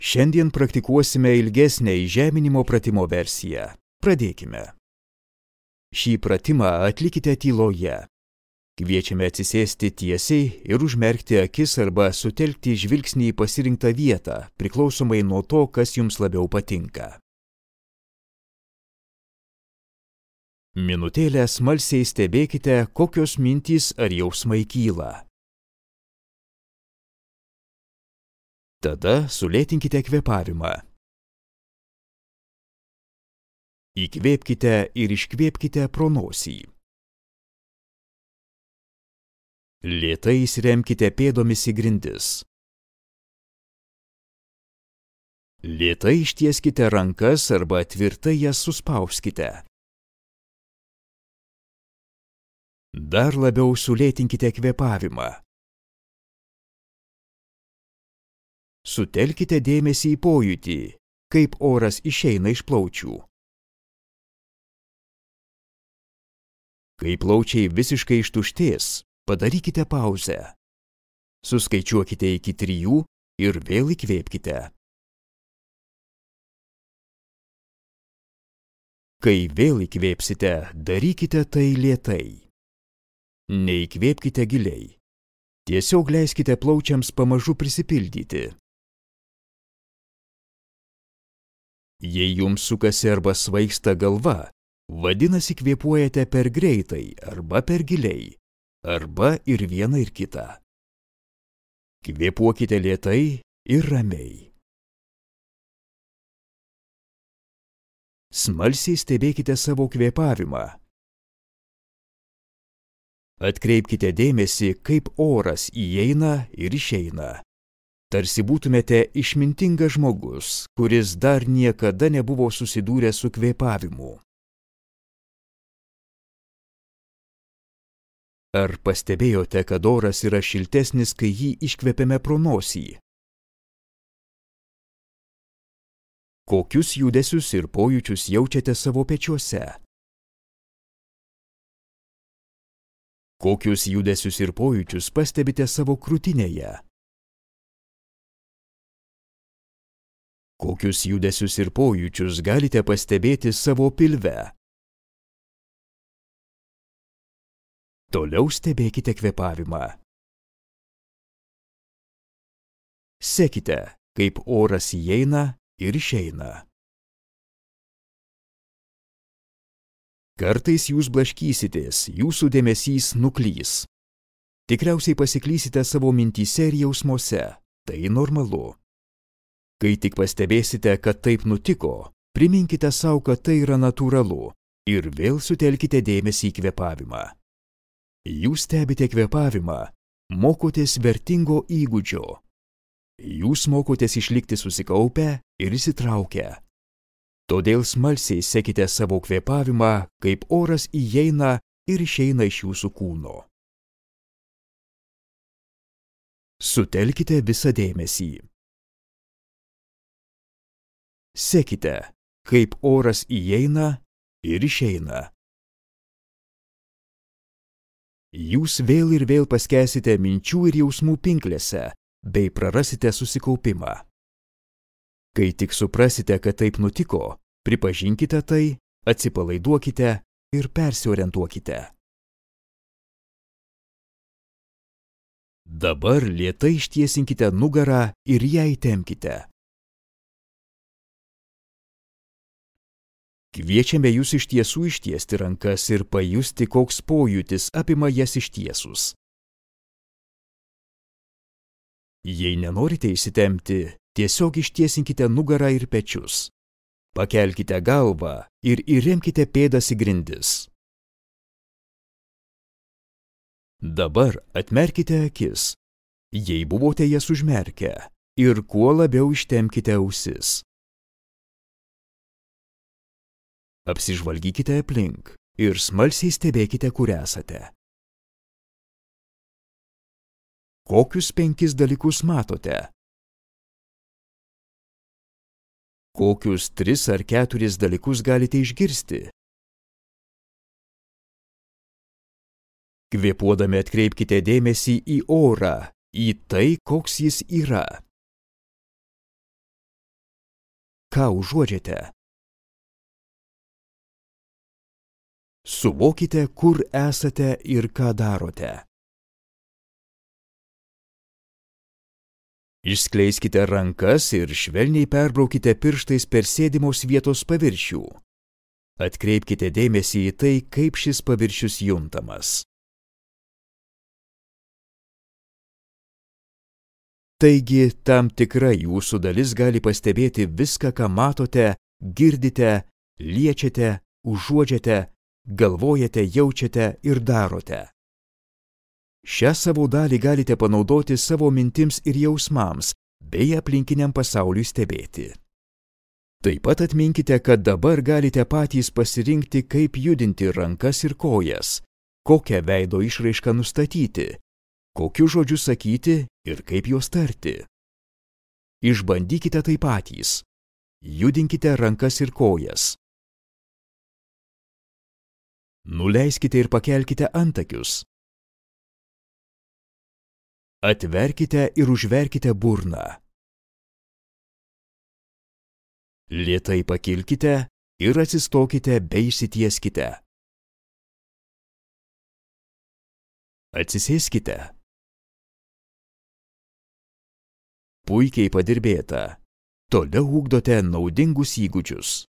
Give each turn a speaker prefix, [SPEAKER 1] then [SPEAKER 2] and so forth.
[SPEAKER 1] Šiandien praktikuosime ilgesnę įžeminimo pratimo versiją. Pradėkime. Šį pratimą atlikite tyloje. Kviečiame atsisėsti tiesiai ir užmerkti akis arba sutelkti žvilgsnį į pasirinktą vietą, priklausomai nuo to, kas jums labiau patinka. Minutėlę smalsiai stebėkite, kokios mintys ar jausmai kyla. Tada sulėtinkite kvėpavimą. Įkvėpkite ir iškvėpkite pro nosį. Lėtai įsiremkite pėdomis į grindis. Lėtai ištieskite rankas arba tvirtai jas suspauskite. Dar labiau sulėtinkite kvėpavimą. Sutelkite dėmesį į pojūtį, kaip oras išeina iš plaučių. Kai plaučiai visiškai ištuštės, padarykite pauzę. Suskaičiuokite iki 3 ir vėl įkvėpkite. Kai vėl įkvėpsite, darykite tai lėtai. Neįkvėpkite giliai. Tiesiog leiskite plaučiams pamažu prisipildyti. Jei jums sukasi arba svaigsta galva, vadinasi kvėpuojate per greitai arba per giliai, arba ir viena ir kita. Kvėpuokite lėtai ir ramiai. Smalsiai stebėkite savo kvėpavimą. Atkreipkite dėmesį, kaip oras įeina ir išeina. Tarsi būtumėte išmintingas žmogus, kuris dar niekada nebuvo susidūręs su kvėpavimu. Ar pastebėjote, kad oras yra šiltesnis, kai jį iškvepiame pro nosį? Kokius judesius ir pojūčius jaučiate savo pečiuose? Kokius judesius ir pojūčius pastebite savo krūtinėje? Kokius judesius ir pojūčius galite pastebėti savo pilve? Toliau stebėkite kvėpavimą. Sekite, kaip oras įeina ir išeina. Kartais jūs blaškysitės, jūsų dėmesys nuklys. Tikriausiai pasiklysite savo mintyse ir jausmuose. Tai normalu. Kai tik pastebėsite, kad taip nutiko, priminkite sau, kad tai yra natūralu ir vėl sutelkite dėmesį į kvėpavimą. Jūs stebite kvėpavimą, mokotės vertingo įgūdžio. Jūs mokotės išlikti susikaupę ir įsitraukę. Todėl smalsiai sekite savo kvėpavimą, kaip oras įeina ir išeina iš jūsų kūno. Sutelkite visą dėmesį. Sekite, kaip oras įeina ir išeina. Jūs vėl ir vėl paskęsite minčių ir jausmų pinklėse, bei prarasite susikaupimą. Kai tik suprasite, kad taip nutiko, pripažinkite tai, atsipalaiduokite ir persiorientuokite. Dabar lėtai ištiesinkite nugarą ir ją įtempkite. Kviečiame jūs iš tiesų ištiesti rankas ir pajusti, koks pojūtis apima jas ištiesus. Jei nenorite įsitempti, tiesiog ištiesinkite nugarą ir pečius. Pakelkite galvą ir įremkite pėdas į grindis. Dabar atmerkite akis, jei buvote jas užmerkę, ir kuo labiau ištempkite ausis. Apsižvalgykite aplink ir smalsiai stebėkite, kur esate. Kokius 5 dalykus matote? Kokius 3 ar 4 dalykus galite išgirsti? Kvėpuodami atkreipkite dėmesį į orą, į tai, koks jis yra. ką užuodžiate. Suvokite, kur esate ir ką darote. Išskleiskite rankas ir švelniai perbraukite pirštais per sėdimos vietos paviršių. Atkreipkite dėmesį į tai, kaip šis paviršius juntamas. Taigi, tam tikra jūsų dalis gali pastebėti viską, ką matote, girdite, liečiate, užuodžiate, galvojate, jaučiate ir darote. Šią savo dalį galite panaudoti savo mintims ir jausmams, bei aplinkiniam pasauliui stebėti. Taip pat atminkite, kad dabar galite patys pasirinkti, kaip judinti rankas ir kojas, kokią veido išraišką nustatyti, kokius žodžius sakyti ir kaip juos tarti. Išbandykite tai patys. Judinkite rankas ir kojas. Nuleiskite ir pakelkite antakius. Atverkite ir užverkite burną. Lėtai pakilkite ir atsistokite bei išsitieskite. Atsisėskite. Puikiai padirbėta. Toliau ugdote naudingus įgūdžius.